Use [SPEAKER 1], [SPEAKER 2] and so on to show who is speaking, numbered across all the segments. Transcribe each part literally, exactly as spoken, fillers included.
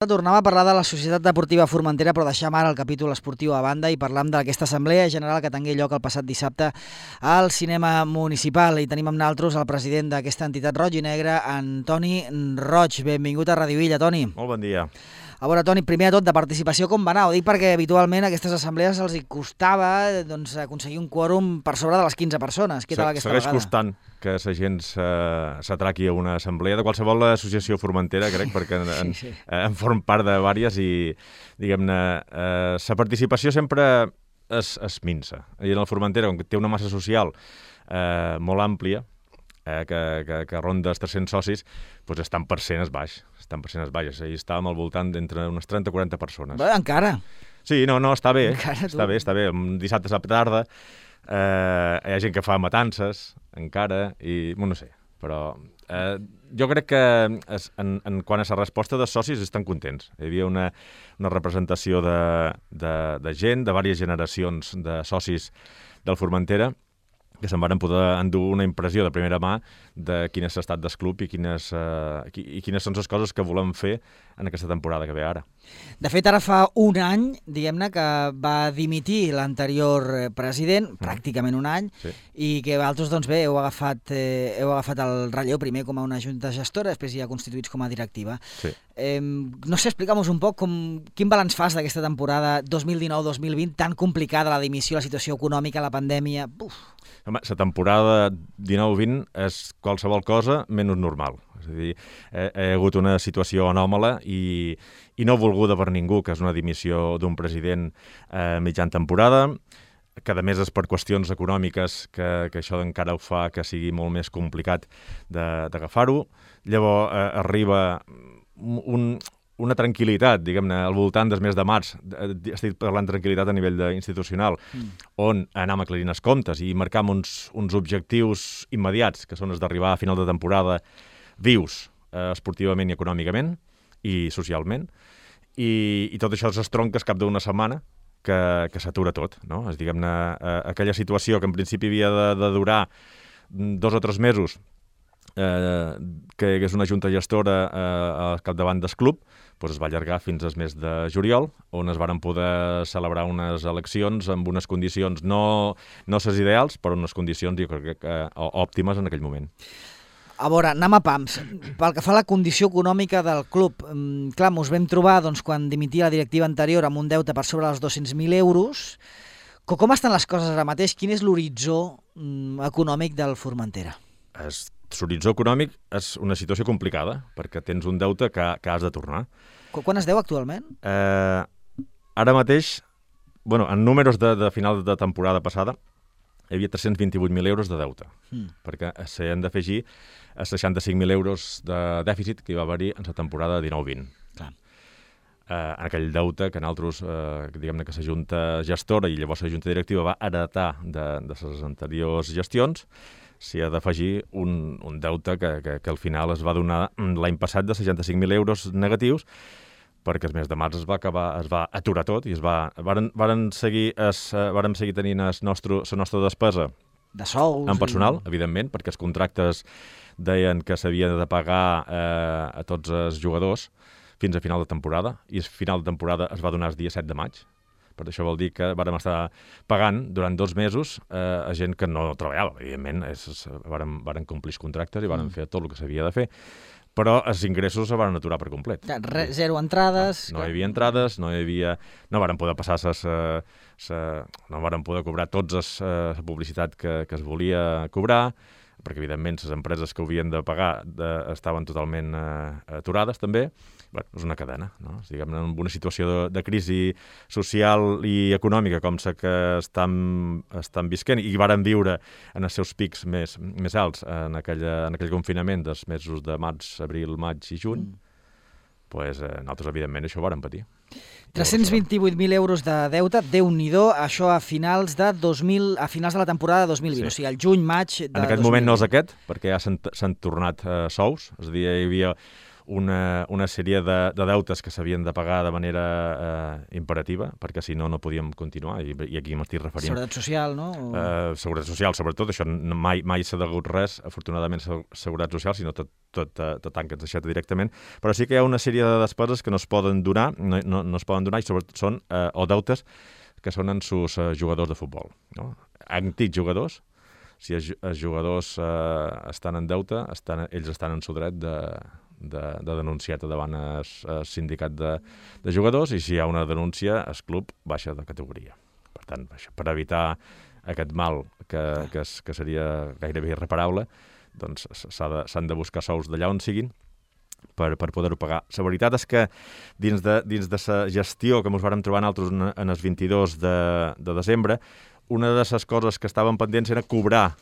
[SPEAKER 1] Tornem a parlar de la Societat Deportiva Formentera, però deixem ara el capítol esportiu a banda i parlam d'aquesta assemblea general que tingué lloc el passat dissabte al cinema municipal. I tenim amb nosaltres el president d'aquesta entitat roig i negra, Antoni Roig. Benvingut a Radio Illa, Toni.
[SPEAKER 2] Molt bon dia.
[SPEAKER 1] A veure, Toni, primer de tot, de participació com va anar? Ho dic perquè habitualment a aquestes assemblees els hi costava doncs, aconseguir un quòrum per sobre de les quinze persones. Què tal aquesta
[SPEAKER 2] Segueix
[SPEAKER 1] vegada?
[SPEAKER 2] costant que la gent s'atraqui a una assemblea de qualsevol associació formentera, crec, perquè en,
[SPEAKER 1] sí, sí.
[SPEAKER 2] en form part de diverses i, diguem-ne, eh, la participació sempre es, es minsa. I en el Formentera, com que té una massa social eh, molt àmplia, eh, que, que, que ronda els tres-cents socis, doncs estan per cent es baix. Estan per cent es baix. Ahir estàvem al voltant d'entre unes trenta a quaranta persones.
[SPEAKER 1] Bé, encara.
[SPEAKER 2] Sí, no, no, està bé.
[SPEAKER 1] Encara,
[SPEAKER 2] està bé, està bé. Un dissabte a la tarda eh, hi ha gent que fa matances, encara, i, bueno, no sé, però eh, jo crec que es, en, en quant a la resposta dels socis estan contents. Hi havia una, una representació de, de, de gent, de diverses generacions de socis del Formentera, que se'n van poder endur una impressió de primera mà de quin és l'estat del club i quines, uh, i quines són les coses que volem fer en aquesta temporada que ve ara.
[SPEAKER 1] De fet, ara fa un any, diguem-ne, que va dimitir l'anterior president, mm. pràcticament un any,
[SPEAKER 2] sí.
[SPEAKER 1] I que vosaltres, doncs bé, heu agafat, eh, heu agafat el relleu primer com a una junta gestora, després ja constituïts com a directiva.
[SPEAKER 2] Sí.
[SPEAKER 1] Eh, no sé, explica'm-nos un poc com, quin balanç fas d'aquesta temporada dos mil dinou dos mil vint, tan complicada, la dimissió, la situació econòmica, la pandèmia... Uf.
[SPEAKER 2] Home, la temporada dinou vint és qualsevol cosa menys normal. És a dir, hi ha hagut una situació anòmala i, i no volguda per ningú, que és una dimissió d'un president eh, mitjan temporada, que a més és per qüestions econòmiques, que, que això encara ho fa que sigui molt més complicat d'agafar-ho. Llavors eh, arriba un... una tranquil·litat, diguem-ne, al voltant del mes de març, estic parlant de tranquil·litat a nivell institucional, mm. on anem aclarint els comptes i marcam uns, uns objectius immediats, que són els d'arribar a final de temporada vius, eh, esportivament i econòmicament, i socialment, i, i tot això es tronca cap d'una setmana que, que s'atura tot, no? És, diguem-ne, eh, aquella situació que en principi havia de, de durar dos o tres mesos, eh, que és una junta gestora eh, al capdavant del club, doncs es va allargar fins al mes de juliol, on es varen poder celebrar unes eleccions amb unes condicions no, no ses ideals, però unes condicions jo crec que òptimes en aquell moment.
[SPEAKER 1] A veure, anem a pams. Pel que fa a la condició econòmica del club, eh, clar, mos vam trobar doncs, quan dimitia la directiva anterior amb un deute per sobre dels dos-cents mil euros. Com estan les coses ara mateix? Quin és l'horitzó eh, econòmic del Formentera?
[SPEAKER 2] És L'horitzó econòmic és una situació complicada, perquè tens un deute que, que has de tornar.
[SPEAKER 1] Quan es deu actualment?
[SPEAKER 2] Eh, ara mateix, bueno, en números de, de final de temporada passada, hi havia tres-cents vint-i-vuit mil euros de deute, mm. perquè s'han d'afegir els seixanta-cinc mil euros de dèficit que hi va haver-hi en la temporada dinou vint.
[SPEAKER 1] Clar.
[SPEAKER 2] Eh, en aquell deute que nosaltres, eh, diguem-ne que la junta gestora i llavors la junta directiva va heretar de, de les anteriors gestions, s'hi ha d'afegir un, un deute que, que, que al final es va donar l'any passat de seixanta-cinc mil euros negatius, perquè el mes de març es va acabar, es va aturar tot i es va, varen, varen seguir, es, varen seguir tenint la nostra despesa
[SPEAKER 1] de sous
[SPEAKER 2] en personal,
[SPEAKER 1] i...
[SPEAKER 2] evidentment, perquè els contractes deien que s'havia de pagar eh, a tots els jugadors fins a final de temporada, i el final de temporada es va donar el dia set de maig. Per això vol dir que vàrem estar pagant durant dos mesos eh, a gent que no treballava. Evidentment, és, vàrem, vàrem complir els contractes i vàrem mm. fer tot el que s'havia de fer, però els ingressos se van aturar per complet.
[SPEAKER 1] Re, zero entrades...
[SPEAKER 2] No, no hi havia entrades, no hi havia... No vàrem poder passar ses, ses, no vàrem poder cobrar tots la eh, publicitat que, que es volia cobrar, perquè, evidentment, les empreses que ho havien de pagar de, estaven totalment eh, aturades, també. Bé, és una cadena, no? Diguem, en una situació de, de crisi social i econòmica com la que estan, estan visquent i varen viure en els seus pics més, més alts en, aquella, en aquell confinament dels mesos de març, abril, maig i juny, mm. pues, eh, nosaltres, evidentment, això ho vàrem patir.
[SPEAKER 1] tres-cents vint-i-vuit mil euros de deute, Déu-n'hi-do, això a finals de dos mil, a finals de la temporada dos mil vint, sí. O sigui, el juny, maig de
[SPEAKER 2] En aquest
[SPEAKER 1] dos mil vint.
[SPEAKER 2] moment no és aquest, perquè ja s'han tornat eh, sous, és a dir, hi havia una, una sèrie de, de deutes que s'havien de pagar de manera eh, imperativa, perquè si no, no podíem continuar, i, i aquí m'estic referint.
[SPEAKER 1] Seguretat social, no? O...
[SPEAKER 2] Uh, seguretat social, sobretot, això no- mai, mai s'ha degut res, afortunadament, se- seguretat social, sinó tot, tot, tot, tot tanca, ens deixat directament, però sí que hi ha una sèrie de despeses que no es poden donar, no, no, no es poden donar, i sobretot són, uh, o deutes, que són en sus uh, jugadors de futbol, no? Antics jugadors, si els, els jugadors uh, estan en deute, estan, ells estan en su dret de, de, de denunciar-te davant el, el sindicat de, de jugadors, i si hi ha una denúncia, el club baixa de categoria. Per tant, per evitar aquest mal que, que, es, que seria gairebé irreparable, doncs s'han de, s'han de buscar sous d'allà on siguin per, per poder-ho pagar. La veritat és que dins de, dins de la gestió que ens vàrem trobar nosaltres en el vint-i-dos de, de desembre, una de les coses que estaven pendents era cobrar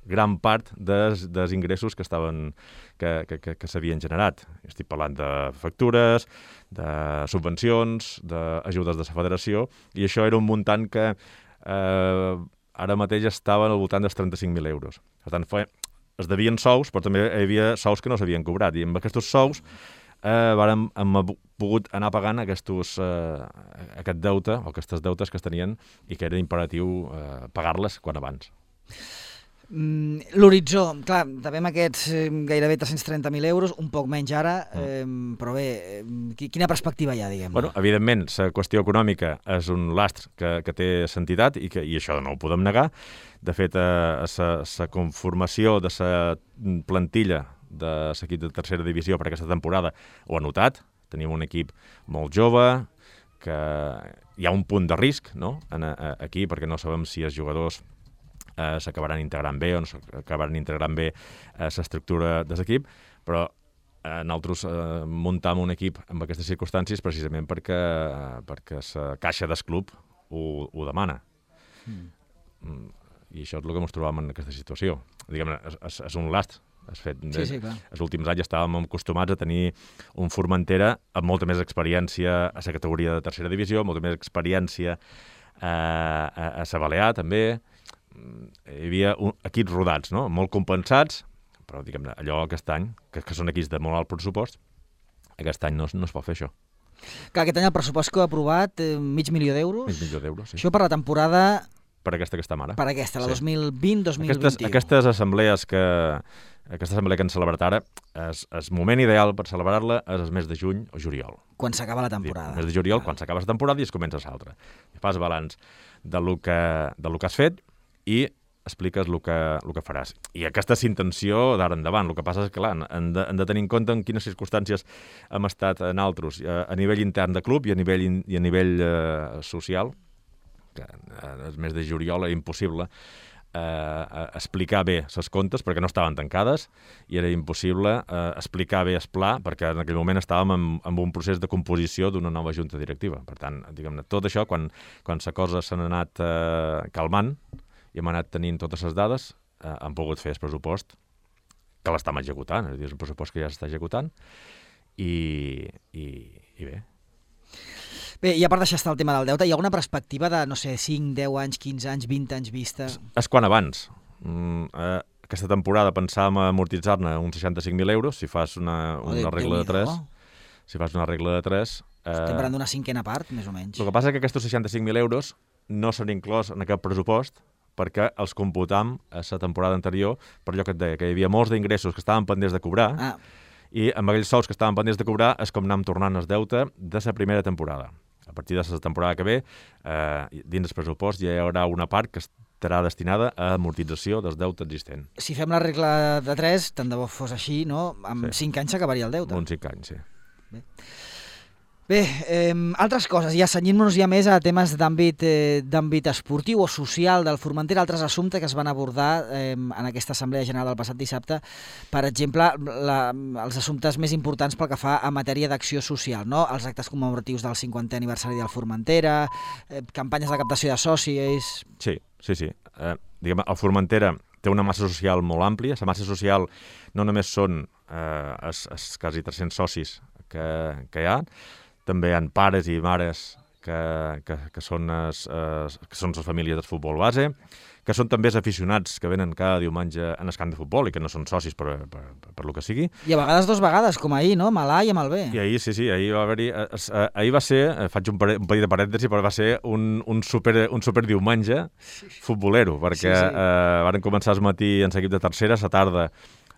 [SPEAKER 2] gran part dels, dels ingressos que estaven que, que, que, que s'havien generat. Estic parlant de factures, de subvencions, d'ajudes de la federació, i això era un muntant que eh, ara mateix estava al voltant dels trenta-cinc mil euros. Per tant, fe, es devien sous, però també hi havia sous que no s'havien cobrat, i amb aquests sous eh, vàrem, hem pogut anar pagant aquestos, eh, aquest deute, o aquestes deutes que es tenien, i que era imperatiu eh, pagar-les quan abans.
[SPEAKER 1] Mm, L'horitzó, clar, també amb aquests eh, gairebé tres-cents trenta mil euros, un poc menys ara, eh, però bé, eh, quina perspectiva hi ha, diguem-ne?
[SPEAKER 2] Bueno, evidentment, la qüestió econòmica és un lastre que, que té sentitat, i, que, i això no ho podem negar. De fet, la conformació de la plantilla de l'equip de tercera divisió per aquesta temporada ho ha notat. Tenim un equip molt jove, que hi ha un punt de risc, no?, en, a, aquí, perquè no sabem si els jugadors eh, s'acabaran integrant bé o no s'acabaran integrant bé a l'estructura de l'equip, però eh, nosaltres eh, muntam un equip amb aquestes circumstàncies precisament perquè, eh, perquè la caixa del club ho, ho demana. Mm. I això és el que ens trobàvem en aquesta situació. Diguem-ne, és, és, és un last. Has fet,
[SPEAKER 1] Sí, sí, clar.
[SPEAKER 2] Els últims anys estàvem acostumats a tenir un Formentera amb molta més experiència a la categoria de tercera divisió, molta més experiència a, a, a la Balear, també. Hi havia un, equips rodats, no?, molt compensats, però diguem-ne, allò aquest any, que, que són equips de molt alt pressupost, aquest any no, no es pot fer això.
[SPEAKER 1] Clar, aquest any el pressupost que heu aprovat, eh, mig milió d'euros.
[SPEAKER 2] Mig milió d'euros, sí.
[SPEAKER 1] Això per la temporada...
[SPEAKER 2] Per aquesta que estem ara.
[SPEAKER 1] Per aquesta, la
[SPEAKER 2] Sí.
[SPEAKER 1] dos mil vint dos mil vint u.
[SPEAKER 2] Aquestes, aquestes assemblees que, aquesta assemblea que hem celebrat ara, és el moment ideal per celebrar-la és el mes de juny o juliol.
[SPEAKER 1] Quan s'acaba la temporada.
[SPEAKER 2] El mes de juliol, quan s'acaba la temporada i es comença l'altra. Fas balanç de lo que, de lo que has fet i expliques el que, el que faràs. I aquesta és intenció d'ara endavant. El que passa és que, clar, hem de, hem de tenir en compte en quines circumstàncies hem estat en altres, a, a nivell intern de club i a nivell, in, i a nivell eh, social, que el mes de juliol era impossible eh, explicar bé les comptes perquè no estaven tancades, i era impossible eh, explicar bé el pla perquè en aquell moment estàvem en, en un procés de composició d'una nova junta directiva. Per tant, diguem-ne, tot això, quan, quan la cosa s'ha anat eh, calmant i hem anat tenint totes les dades, eh, hem pogut fer el pressupost que l'estem executant, és a dir, és un pressupost que ja s'està executant, i, i, i bé.
[SPEAKER 1] Bé, i a part d'això està el tema del deute, hi ha alguna perspectiva de, no sé, cinc, deu anys, quinze anys, vint anys vista?
[SPEAKER 2] És, és quan abans. Mm, eh, aquesta temporada pensàvem amortitzar-ne uns seixanta-cinc mil euros, si fas una, una
[SPEAKER 1] Oh,
[SPEAKER 2] regla de tres.
[SPEAKER 1] Déu-n'hi-do.
[SPEAKER 2] Si fas una regla de tres... Eh,
[SPEAKER 1] Estem parlant d'una cinquena part, més o menys.
[SPEAKER 2] el que passa és que aquests seixanta-cinc mil euros no s'han inclòs en aquest pressupost perquè els computam a la temporada anterior, per allò que et deia, que hi havia molts d'ingressos que estaven pendents de cobrar,
[SPEAKER 1] Ah,
[SPEAKER 2] i amb aquells sous que estaven pendents de cobrar és com anem tornant el deute de la primera temporada. A partir de la temporada que ve, eh, dins del pressupost ja hi haurà una part que estarà destinada a amortització del deute existent.
[SPEAKER 1] si fem la regla de tres, tant de bo fos així, no? Amb
[SPEAKER 2] Sí.
[SPEAKER 1] cinc anys s'acabaria el deute.
[SPEAKER 2] Uns cinc anys, sí.
[SPEAKER 1] Bé, eh, altres coses, ja senyint-nos ja més a temes d'àmbit eh, d'àmbit esportiu o social del Formentera, altres assumptes que es van abordar eh, en aquesta Assemblea General del passat dissabte, per exemple, la, els assumptes més importants pel que fa a matèria d'acció social, no? Els actes commemoratius del cinquantè aniversari del Formentera, eh, campanyes de captació de socis...
[SPEAKER 2] Sí, sí, sí. Eh, diguem, el Formentera té una massa social molt àmplia. La massa social no només són eh, els, els quasi tres-cents socis que, que hi ha, també hi ha pares i mares que, que, que, són, es, es, que són les famílies del futbol base, que són també els aficionats que venen cada diumenge en el camp de futbol i que no són socis per, per, per, per lo que sigui.
[SPEAKER 1] I a vegades dos vegades, com ahir, no? Amb l'A i amb el B.
[SPEAKER 2] I ahir, sí, sí, ahir va haver-hi... Ahir va ser, faig un, pare, un petit de parèntesi, però va ser un, un, super, un super diumenge futbolero, perquè sí, sí. Eh, van començar al matí en l'equip de tercera, a la tarda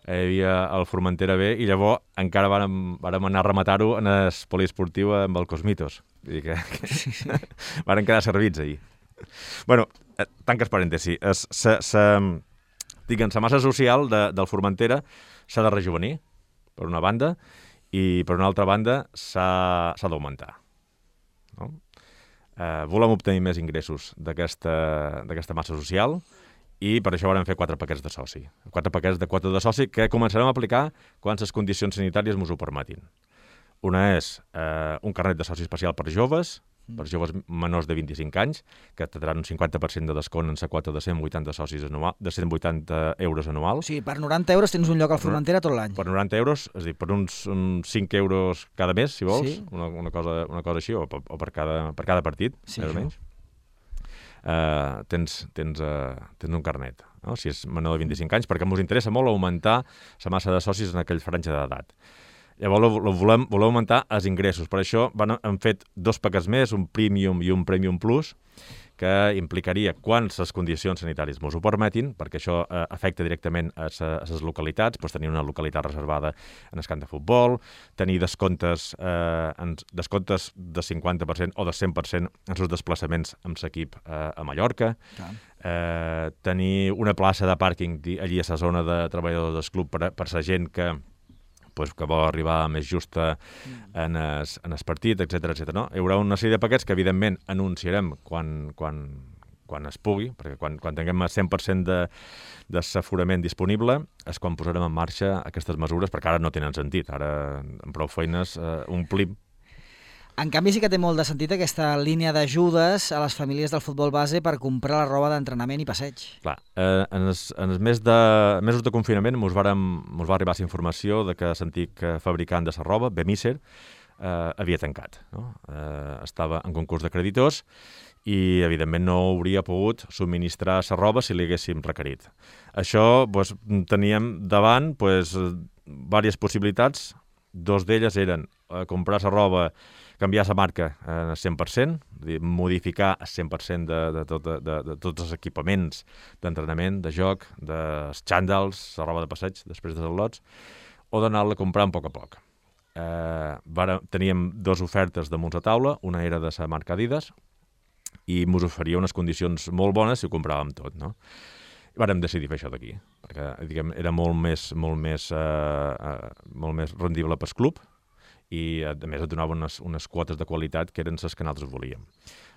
[SPEAKER 2] hi havia el Formentera B i llavors encara vàrem, vàrem anar a rematar-ho en el poliesportiu amb el Cosmitos. Vull dir que, que varen quedar servits ahir. Bueno, tanques parèntesi. Es, se, se, diguem, la massa social de, del Formentera s'ha de rejuvenir, per una banda, i per una altra banda s'ha d'augmentar. No? Eh, volem obtenir més ingressos d'aquesta massa social i per això vam fer quatre paquets de soci. Quatre paquets de quota de soci que començarem a aplicar quan les condicions sanitàries ens ho permetin. Una és eh, un carnet de soci especial per joves, per joves menors de vint-i-cinc anys, que tindran un cinquanta per cent de descont en la quota de cent vuitanta socis anual, de cent vuitanta euros anuals.
[SPEAKER 1] O sigui, per noranta euros tens un lloc al Formentera tot l'any.
[SPEAKER 2] Per noranta euros, és a dir, per uns, uns cinc euros cada mes, si vols, sí. una, una, cosa, una cosa així, o, o per, cada, per cada partit, sí, més o menys. Uh, tens, tens, uh, tens un carnet, no? Si és menor de vint-i-cinc anys, perquè ens interessa molt augmentar la massa de socis en aquell franja d'edat. Llavors volem, volem augmentar els ingressos. Per això van, han fet dos paquets més, un Premium i un Premium Plus, que implicaria, quan les condicions sanitàries ens ho permetin, perquè això eh, afecta directament a les localitats, doncs tenir una localitat reservada en el camp de futbol, tenir descomptes, eh, en, descomptes de cinquanta per cent o de cent per cent en els desplaçaments amb l'equip eh, a Mallorca, eh, tenir una plaça de pàrquing allí a la zona de treballadors del club per, per la gent que pues, que vol arribar més justa en el, en el partit, etcètera, etcètera. No? Hi haurà una sèrie de paquets que, evidentment, anunciarem quan, quan, quan es pugui, perquè quan, quan tinguem el cent per cent de, de l'aforament disponible és quan posarem en marxa aquestes mesures, perquè ara no tenen sentit. Ara, amb prou feines, eh, omplim.
[SPEAKER 1] En canvi, sí que té molt de sentit aquesta línia d'ajudes a les famílies del futbol base per comprar la roba d'entrenament i passeig. Clar,
[SPEAKER 2] eh, en els, en els mes de, mesos de confinament mos, vàrem, mos va arribar la informació de que l'antic fabricant de la roba, Bemiser, eh, havia tancat. No? Eh, estava en concurs de creditors i, evidentment, no hauria pogut subministrar la roba si li haguéssim requerit. Això, doncs, teníem davant doncs, diverses possibilitats. Dos d'elles eren eh, comprar la roba, canviar la marca al cent per cent, modificar el cent per cent de, de, tot, de, de tots els equipaments d'entrenament, de joc, dels xàndals, la roba de passeig després dels al·lots, o d'anar-la comprant a poc a poc. Eh, vara, teníem dues ofertes damunt la taula, una era de la marca Adidas, i ens oferia unes condicions molt bones si ho compràvem tot, no? I vàrem decidir fer això d'aquí, perquè diguem, era molt més, molt més, eh, eh, molt més rendible pel club, i a més et donava unes, unes quotes de qualitat que eren les que nosaltres volíem.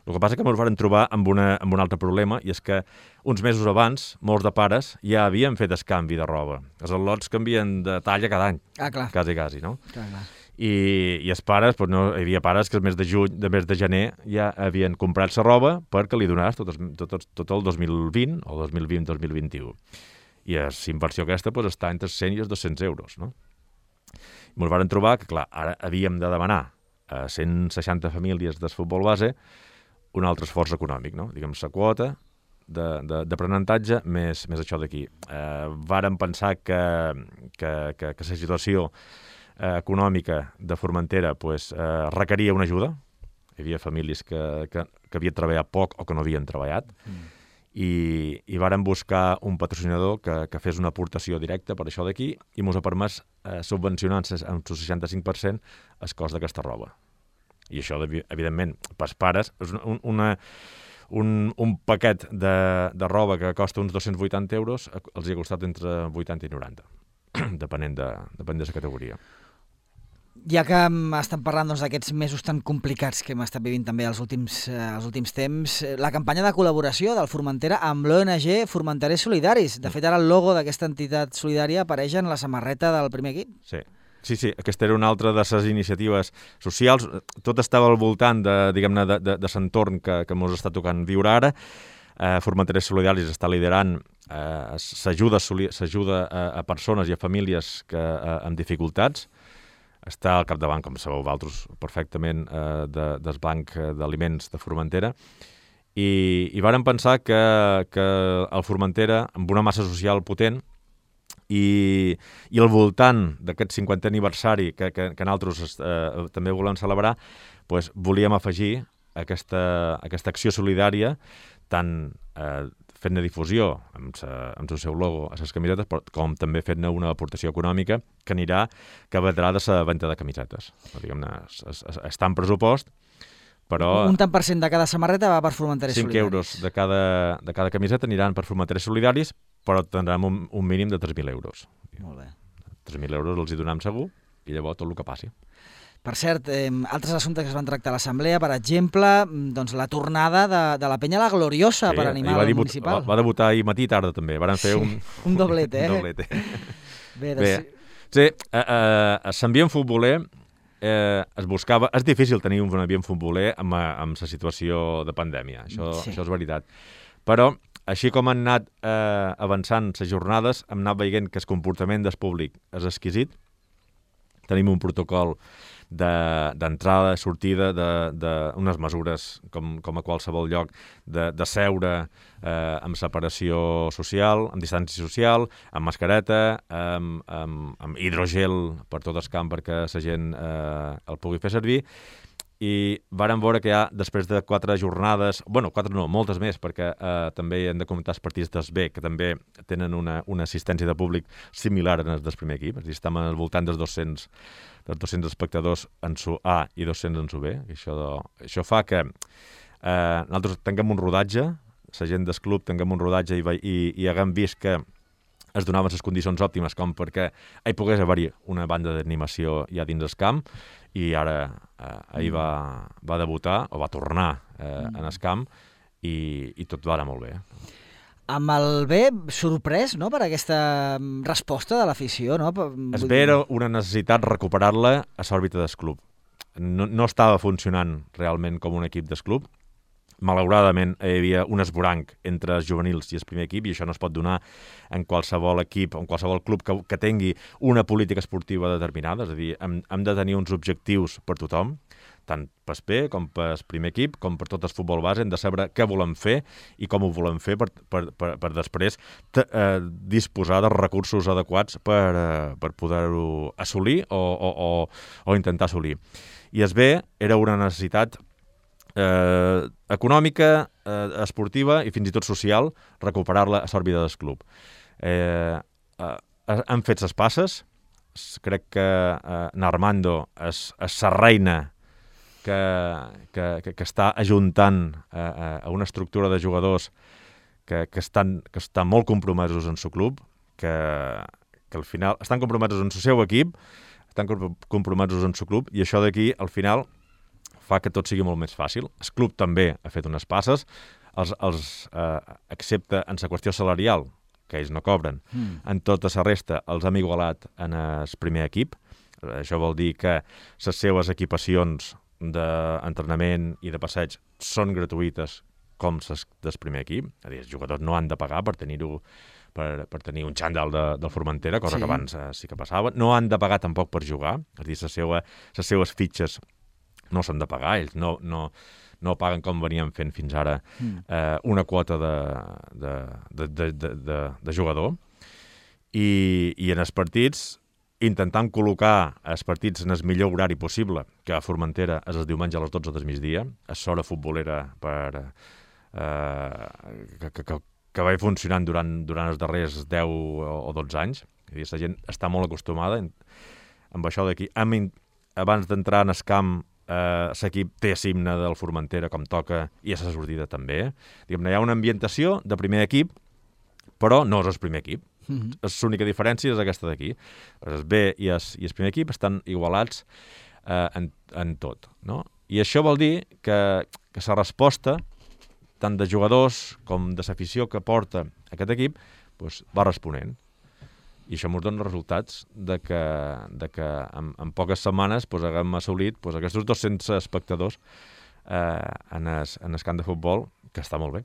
[SPEAKER 2] El que passa és que ens vam trobar amb, una, amb un altre problema, i és que uns mesos abans, molts de pares ja havien fet el canvi de roba. Els al·lots canvien de talla cada any,
[SPEAKER 1] ah, clar.
[SPEAKER 2] quasi, quasi, no?
[SPEAKER 1] Clar, clar.
[SPEAKER 2] I, i els pares, doncs no, hi havia pares que el mes de juny, de mes de gener ja havien comprat la roba perquè li donàs tot, tot, tot, tot el dos mil vint o dos mil vint dos mil vint-i-u. I la inversió aquesta doncs, està entre cent i els dos-cents euros, no? I ens vam trobar que, clar, ara havíem de demanar a cent seixanta famílies del futbol base un altre esforç econòmic, no? Diguem, la quota d'aprenentatge més, més això d'aquí. Eh, vàrem pensar que, que, que, que la situació eh, econòmica de Formentera pues, eh, requeria una ajuda. Hi havia famílies que, que, que havien treballat poc o que no havien treballat. Mm. I, i vàrem buscar un patrocinador que, que fes una aportació directa per això d'aquí i ens ha permès eh, subvencionar amb el seixanta-cinc per cent el cost d'aquesta roba. I això, evidentment, pels pares, és una, una, un, un paquet de, de roba que costa uns dos-cents vuitanta euros, els hi ha costat entre vuitanta i noranta, depenent de, depenent de la categoria.
[SPEAKER 1] Ja que estem parlant doncs, d'aquests mesos tan complicats que hem estat vivint també els últims, eh, els últims temps, la campanya de col·laboració del Formentera amb l'O N G Formenterers Solidaris. De fet, ara el logo d'aquesta entitat solidària apareix en la samarreta del primer equip.
[SPEAKER 2] Sí. Sí, sí, aquesta era una altra de les iniciatives socials. Tot estava al voltant de, diguem-ne, de, de, de l'entorn que, que ens està tocant viure ara. Eh, Formenterers Solidaris està liderant eh, s'ajuda a, a persones i a famílies que, eh, amb dificultats. està al capdavant, com sabeu vosaltres perfectament, eh, de, del Banc d'Aliments de Formentera, i, i vàrem pensar que, que el Formentera, amb una massa social potent, i, i al voltant d'aquest cinquantè aniversari que, que, que nosaltres eh, també volem celebrar, pues, volíem afegir aquesta, aquesta acció solidària, tant eh, fent-ne difusió amb, sa, amb el seu logo a les camisetes, però, com també fent-ne una aportació econòmica que anirà, que vendrà de la venda de camisetes. Diguem-ne, està en pressupost, però...
[SPEAKER 1] Un tant per cent de cada samarreta va per Formentaris
[SPEAKER 2] Solidaris. cinc euros de cada, de cada camiseta aniran per Formentaris Solidaris, però tindrem un, un mínim de tres mil euros.
[SPEAKER 1] Molt bé.
[SPEAKER 2] tres mil euros els hi donem segur, i llavors tot el que passi.
[SPEAKER 1] Per cert, eh, altres assumptes que es van tractar a l'Assemblea, per exemple, doncs la tornada de, de la penya a la Gloriosa, sí, per animar el debut, municipal.
[SPEAKER 2] Va, va debutar ahir matí i tarda també, van fer
[SPEAKER 1] sí,
[SPEAKER 2] un...
[SPEAKER 1] un doblet, eh?
[SPEAKER 2] un doblet, eh?
[SPEAKER 1] Bé,
[SPEAKER 2] doncs... Bé. Sí, eh, eh, s'ambient futboler, eh, es buscava... És difícil tenir un ambient futboler amb, amb la situació de pandèmia, això, sí. això és veritat. Però, així com han anat eh, avançant les jornades, hem anat veient que el comportament del públic és exquisit. Tenim un protocol d'entrada, de, sortida, d'unes mesures, com, com a qualsevol lloc, de, de seure eh, amb separació social, amb distància social, amb mascareta, amb, amb, amb hidrogel per tot el camp perquè la gent eh, el pugui fer servir. I vàrem veure que ja, després de quatre jornades, bueno, quatre no, moltes més, perquè eh, també hem de comentar els partits dels B, que també tenen una, una assistència de públic similar en el del primer equip, és a dir, estem al voltant dels dos-cents, dels dos-cents espectadors en su A i dos-cents en su B. Això, de, això fa que eh, nosaltres tinguem un rodatge, la gent del club tinguem un rodatge i, i, i haguem vist que es donaven les condicions òptimes com perquè hi pogués haver-hi una banda d'animació ja dins el camp, i ara eh, ahir va, va debutar, o va tornar eh, en el camp, i, i tot va anar molt bé.
[SPEAKER 1] Amb el B, sorprès, no?, per aquesta resposta de l'afició, no?
[SPEAKER 2] El B era una necessitat recuperar-la a l'òrbita del club. No, no estava funcionant realment com un equip del club. Malauradament hi havia un esboranc entre els juvenils i el primer equip, i això no es pot donar en qualsevol equip, en qualsevol club que, que tingui una política esportiva determinada. És a dir, hem, hem de tenir uns objectius per tothom, tant pel B com pel primer equip, com per tot el futbol base. Hem de saber què volem fer i com ho volem fer per, per, per, per després te, eh, disposar de recursos adequats per, eh, per poder-ho assolir o, o, o, o intentar assolir. I el B era una necessitat Eh, econòmica, eh, esportiva i fins i tot social, recuperar-la a l'òrbita del club. Eh, eh, han fet les passes, crec que eh, Armando és, és la reina que, que, que, que està ajuntant eh, a una estructura de jugadors que, que, estan, que estan molt compromesos en el club, que, que al final estan compromesos en el seu equip, estan compromesos en el club, i això d'aquí, al final, fa que tot sigui molt més fàcil. El club també ha fet unes passes, els, els eh, excepte en la qüestió salarial, que ells no cobren. Mm. En tota la resta els hem igualat en el primer equip. Això vol dir que les seves equipacions d'entrenament i de passeig són gratuïtes com les del primer equip. És a dir, els jugadors no han de pagar per tenir-ho Per, per tenir un xandall de, del Formentera, cosa sí. que abans eh, sí que passava. No han de pagar tampoc per jugar, és a dir, les seva, les seues fitxes no s'han de pagar, ells no, no, no paguen com veníem fent fins ara mm. eh, una quota de, de, de, de, de, de, de jugador, i, i en els partits intentant col·locar els partits en el millor horari possible, que a Formentera és el diumenge a les dotze del migdia, és l'hora futbolera per, eh, que, que, que, que va funcionant durant, durant els darrers deu o dotze anys. És a dir, la gent està molt acostumada amb això d'aquí. Abans d'entrar en el camp, Uh, l'equip té l'himne del Formentera com toca, i a la sortida també. Diguem-ne, hi ha una ambientació de primer equip, però no és el primer equip. Mm-hmm. L'única diferència és aquesta d'aquí. El B i el, i el primer equip estan igualats uh, en, en tot, no? I això vol dir que, que la resposta, tant de jugadors com de l'afició que porta aquest equip, doncs, va responent. I això ens dona resultats de que, de que en, en poques setmanes doncs, haguem assolit doncs, aquests dos-cents espectadors eh, en, es, en el camp de futbol, que està molt bé.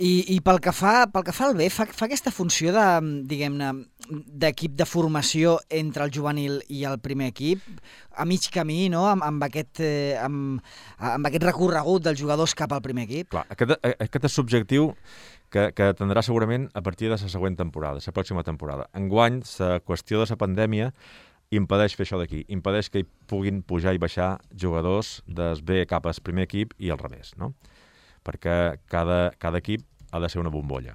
[SPEAKER 1] I, i pel, que fa, pel que fa al B, fa, fa aquesta funció de, diguem-ne, d'equip de formació entre el juvenil i el primer equip, a mig camí, no?, amb, amb, aquest, eh, amb, amb aquest recorregut dels jugadors cap al primer equip.
[SPEAKER 2] Clar, aquest, aquest és subjectiu que, que tindrà segurament a partir de la següent temporada, la pròxima temporada. Enguany, la qüestió de la pandèmia impedeix fer això d'aquí, impedeix que hi puguin pujar i baixar jugadors del B cap al primer equip i al revés, no? Perquè cada, cada equip ha de ser una bombolla.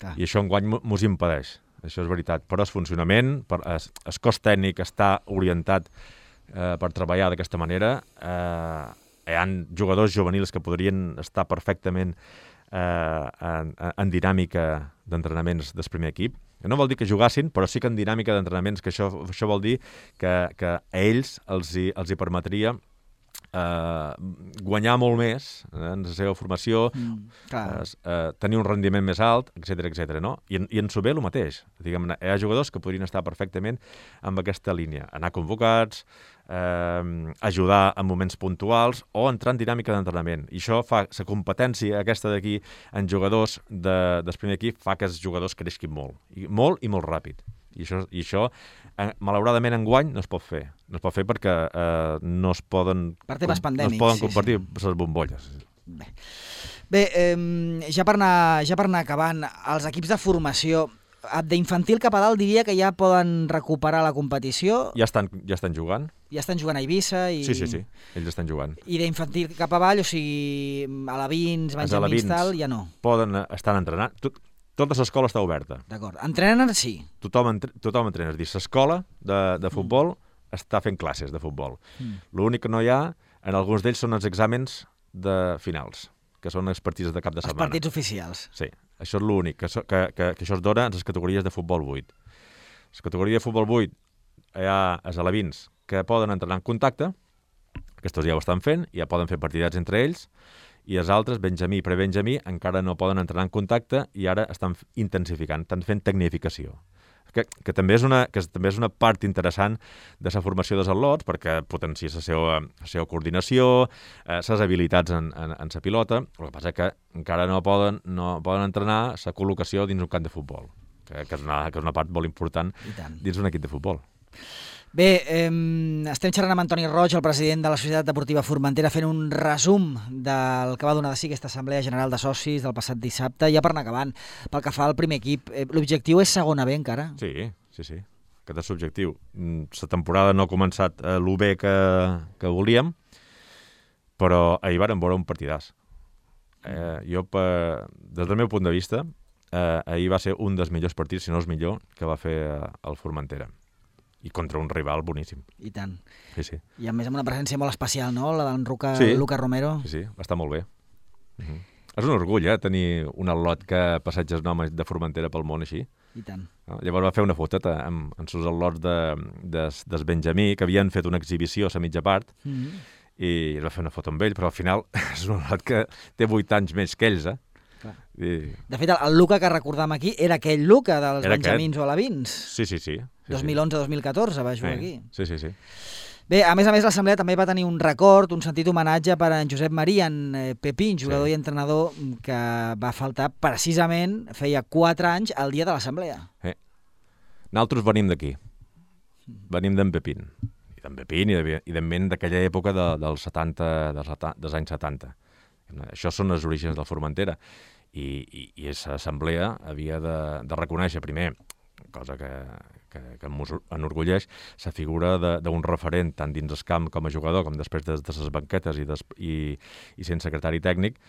[SPEAKER 2] Ah. I això enguany mos impedeix, això és veritat. Però el funcionament, per, el, el cos tècnic està orientat eh, per treballar d'aquesta manera. Eh, hi ha jugadors juvenils que podrien estar perfectament eh, en, en dinàmica d'entrenaments del primer equip. No vol dir que jugassin, però sí que en dinàmica d'entrenaments, que això, això vol dir que, que a ells els hi, els hi permetria Uh, guanyar molt més eh, en la seva formació, mm, uh, uh, tenir un rendiment més alt, etcètera, etcètera, no? I en, i en Sober el mateix. Diguem-ne, hi ha jugadors que podrien estar perfectament amb aquesta línia. Anar convocats, uh, ajudar en moments puntuals o entrar en dinàmica d'entrenament. I això fa, la competència aquesta d'aquí en jugadors de, del primer equip fa que els jugadors creixin molt. I, molt i molt ràpid. I això, i això eh, malauradament enguany no es pot fer. No es pot fer perquè eh, no es poden,
[SPEAKER 1] per temes pandèmics,
[SPEAKER 2] no es poden
[SPEAKER 1] sí,
[SPEAKER 2] compartir
[SPEAKER 1] sí.
[SPEAKER 2] les bombolles.
[SPEAKER 1] Bé, Bé eh, ja, per anar, ja per anar acabant, els equips de formació d'infantil cap a dalt diria que ja poden recuperar la competició.
[SPEAKER 2] Ja estan, ja estan jugant.
[SPEAKER 1] Ja estan jugant a Eivissa. I...
[SPEAKER 2] Sí, sí, sí, ells estan jugant.
[SPEAKER 1] I d'infantil cap avall, o sigui, alevins, benjamins, tal, ja no.
[SPEAKER 2] Poden estar entrenant. Tot, Tota l'escola està oberta.
[SPEAKER 1] D'acord. Entrenen, sí.
[SPEAKER 2] Tothom, entre, tothom entrena. És dir, l'escola de, de futbol mm. està fent classes de futbol. Mm. L'únic que no hi ha, en alguns d'ells, són els exàmens de finals, que són els partits de cap de setmana.
[SPEAKER 1] Els partits oficials.
[SPEAKER 2] Sí, això és l'únic, que, que, que, que això es dona en les categories de futbol vuit. Les categories de futbol vuit hi ha els alevins que poden entrenar en contacte, aquests ja ho estan fent, ja poden fer partidats entre ells, i els altres, benjamí i prebenjamí, encara no poden entrenar en contacte i ara estan intensificant, estan fent tecnificació. Que, que, també és una, que també és una part interessant de la formació dels atlots, perquè potencia la seva, la seva coordinació, eh, les habilitats en, en, en la pilota. El que passa és que encara no poden, no poden entrenar la col·locació dins un camp de futbol, que, que, és una, que és una part molt important dins un equip de futbol.
[SPEAKER 1] Bé, eh, estem xerrant amb Antoni Roig, el president de la Societat Deportiva Formentera, fent un resum del que va donar de si aquesta Assemblea General de Socis del passat dissabte. Ja per anar acabant, pel que fa al primer equip, eh, l'objectiu és segona B encara?
[SPEAKER 2] Sí, sí, sí. Aquest és l'objectiu. La temporada no ha començat eh, l'U B que, que volíem, però ahir vàrem veure un partidàs. Eh, jo, per, des del meu punt de vista, eh, ahir va ser un dels millors partits, si no el millor, que va fer eh, el Formentera. I contra un rival boníssim.
[SPEAKER 1] I tant.
[SPEAKER 2] Sí, sí.
[SPEAKER 1] I a més amb una presència molt especial, no?, la d'en Luca,
[SPEAKER 2] sí.
[SPEAKER 1] Luca Romero.
[SPEAKER 2] Sí, sí, va estar molt bé. Uh-huh. És un orgull, eh, tenir un al·lot que passeja el nom de Formentera pel món així.
[SPEAKER 1] I tant.
[SPEAKER 2] No? Llavors va fer una foteta amb, amb els al·lots de, des, des Benjamí, que havien fet una exhibició a la mitja part, mm-hmm. i es va fer una foto amb ell, però al final és un al·lot que té vuit anys més que ells, eh?
[SPEAKER 1] I... De fet, el, el Luca que recordam aquí era aquell Luca dels
[SPEAKER 2] era
[SPEAKER 1] benjamins
[SPEAKER 2] aquest.
[SPEAKER 1] o alevins.
[SPEAKER 2] Sí, sí, sí. sí
[SPEAKER 1] dos mil onze dos mil catorze va jugar
[SPEAKER 2] sí.
[SPEAKER 1] aquí.
[SPEAKER 2] Sí, sí, sí.
[SPEAKER 1] Bé, a més a més, l'Assemblea també va tenir un record, un sentit homenatge per a en Josep Maria, en Pepín, jugador sí. i entrenador que va faltar precisament, feia quatre anys, al dia de l'Assemblea.
[SPEAKER 2] Sí. Nosaltres venim d'aquí. Venim d'en Pepín. I d'en Pepín i, de, i d'en d'aquella època de, dels, setanta, dels, dels anys setanta. Això són els orígens del Formentera. I, i, i l'Assemblea havia de, de reconèixer primer, cosa que, que, que enorgulleix, la figura d'un referent tant dins el camp com a jugador com després de, de les banquetes i, des, i, i sent secretari tècnic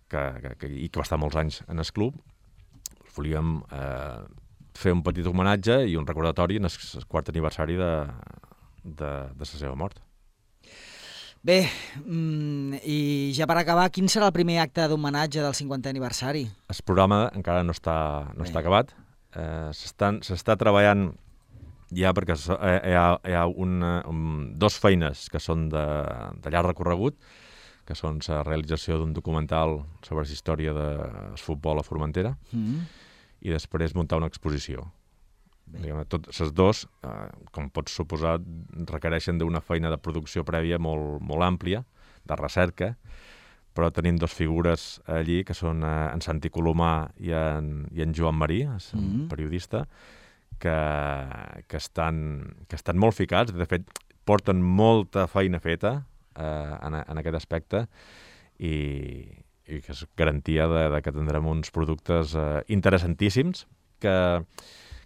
[SPEAKER 2] que, que, que, i que va estar molts anys en el club. Volíem eh, fer un petit homenatge i un recordatori en el, el quart aniversari de, de, de la seva mort.
[SPEAKER 1] Bé, mm, i ja per acabar, quin serà el primer acte d'homenatge del cinquantè aniversari?
[SPEAKER 2] El programa encara no està, no està acabat. Eh, s'està treballant ja perquè hi ha, hi ha una, un, dos feines que són de, de llarg recorregut, que són la realització d'un documental sobre la història del futbol a Formentera mm-hmm. i després muntar una exposició. Tots els dos, eh, com pots suposar, requereixen d'una feina de producció prèvia molt, molt àmplia, de recerca, però tenim dos figures allí, que són eh, en Santi Colomà i en, i en Joan Marí, és un mm-hmm. periodista, que, que, estan, que estan molt ficats, de fet, porten molta feina feta eh, en, en aquest aspecte i, i que és garantia de, de que tindrem uns productes eh, interessantíssims que,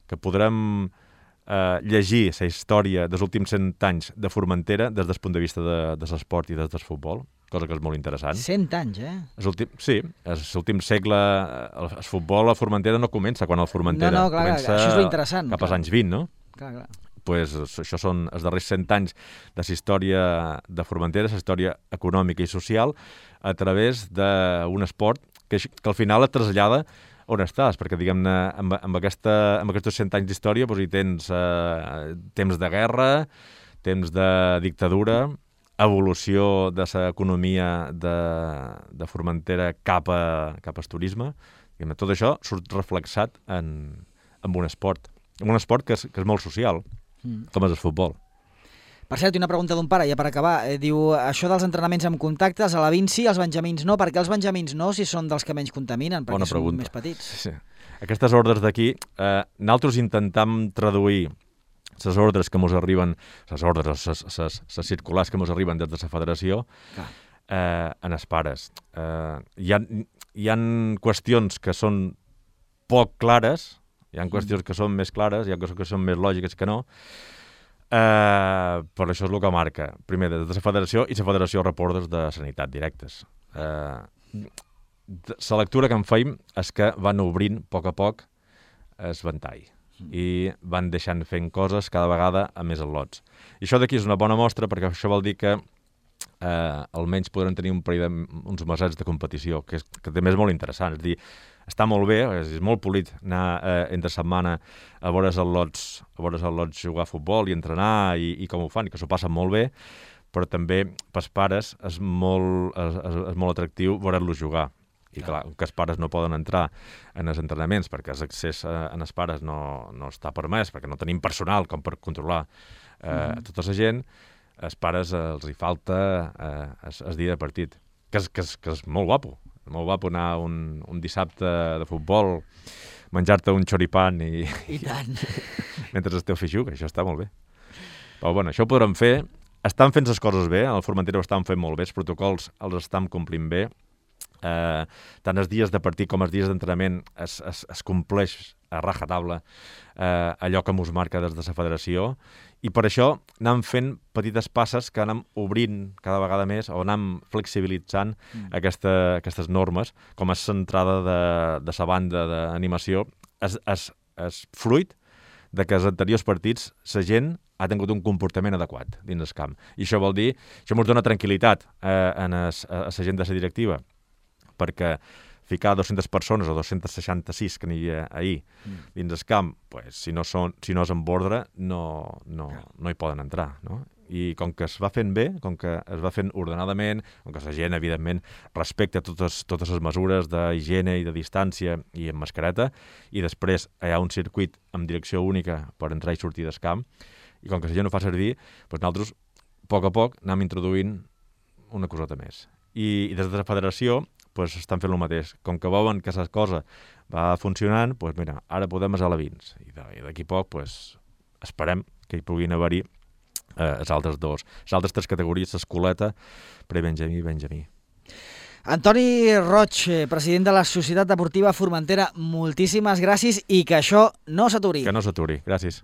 [SPEAKER 2] que podrem eh, llegir la història dels últims cent anys de Formentera des del punt de vista de, de l'esport i des del futbol, cosa que és molt interessant.
[SPEAKER 1] cent anys, eh?
[SPEAKER 2] És últim, sí, és l'últim segle. El, el futbol a Formentera no comença quan el Formentera.
[SPEAKER 1] No, no, clar,
[SPEAKER 2] comença
[SPEAKER 1] això és interessant.
[SPEAKER 2] Cap als anys vint, no?
[SPEAKER 1] Clar, clar.
[SPEAKER 2] Pues, això són els darrers cent anys de la història de Formentera, la història econòmica i social, a través d'un esport que, que al final et trasllada on estàs, perquè, diguem-ne, amb, amb, aquesta, amb aquests cent anys d'història doncs, hi tens eh, temps de guerra, temps de dictadura, evolució de l'economia de, de Formentera cap, a, cap al turisme. Diguem, tot això surt reflexat en, en un esport. En un esport que és, que és molt social, mm. com és el futbol.
[SPEAKER 1] Per cert, una pregunta d'un pare, ja per acabar. Eh, diu, això dels entrenaments amb contactes, a la vint sí, als benjamins no. Per què els benjamins no, si són dels que menys contaminen? Perquè
[SPEAKER 2] Bona
[SPEAKER 1] són
[SPEAKER 2] pregunta.
[SPEAKER 1] més petits.
[SPEAKER 2] Sí. Aquestes ordres d'aquí, eh, nosaltres intentam traduir les ordres que ens arriben, les ordres, les circulars que ens arriben des de la federació, eh, en els pares. Eh, hi, ha, hi ha qüestions que són poc clares, hi ha qüestions que són més clares, hi ha coses que són més lògiques que no, eh, però això és el que marca. Primer, des de la federació i la federació reportes de sanitat directes. Eh, la lectura que en feim és que van obrint a poc a poc el ventall i van deixant fent coses cada vegada a més al·lots. I això d'aquí és una bona mostra, perquè això vol dir que eh, almenys podrem tenir un parell de, uns mesets de competició, que, és, que també és molt interessant. És a dir, està molt bé, és, és molt polit anar eh, entre setmana a veure els al·lots, a veure els al·lots jugar a futbol i entrenar i, i com ho fan, i que s'ho passen molt bé, però també pels pares és molt, és, és, és molt atractiu veure-los jugar. I clar, que els pares no poden entrar en els entrenaments perquè l'accés en els pares no, no està permès, perquè no tenim personal com per controlar eh, mm. tota la gent, els pares eh, els hi falta eh, el, el dia de partit, que és, que, és, que és molt guapo, molt guapo anar un, un dissabte de futbol, menjar-te un xoripan i,
[SPEAKER 1] I tant.
[SPEAKER 2] mentre el teu fill juga, això està molt bé. Però bueno, això ho podrem fer, estan fent les coses bé, al Formentera ho estan fent molt bé, els protocols els estan complint bé, Eh, tant els dies de partit com els dies d'entrenament es, es, es compleix a rajatabla eh, allò que ens marca des de la federació, i per això anem fent petites passes que anem obrint cada vegada més o anem flexibilitzant mm. aquesta, aquestes normes, com és l'entrada de, de la banda d'animació, és, és, és fruit de que els anteriors partits la gent ha tingut un comportament adequat dins el camp. I això vol dir, això ens dona tranquil·litat eh, en es, a la gent de la directiva, perquè ficar dues-centes persones o dos-cents seixanta-sis que n'hi havia ahir mm. dins el camp, pues, si, no són, si no és en ordre, no, no, no hi poden entrar. No? I com que es va fent bé, com que es va fent ordenadament, com que la gent, evidentment, respecta totes, totes les mesures d'higiene i de distància i amb mascareta, i després hi ha un circuit amb direcció única per entrar i sortir del camp, i com que la gent ho fa servir, doncs nosaltres, a poc a poc, anem introduint una coseta més. I, i des de la federació pues, estan fent el mateix. Com que veuen que la cosa va funcionant, pues, mira, ara podem a la vins. I d'aquí a poc pues, esperem que hi puguin haver-hi eh, els altres dos. Les altres tres categories, l'escoleta, pre-benjamí i benjamí.
[SPEAKER 1] Antoni Roig, president de la Societat Deportiva Formentera, moltíssimes gràcies i que això no s'aturi.
[SPEAKER 2] Que no s'aturi. Gràcies.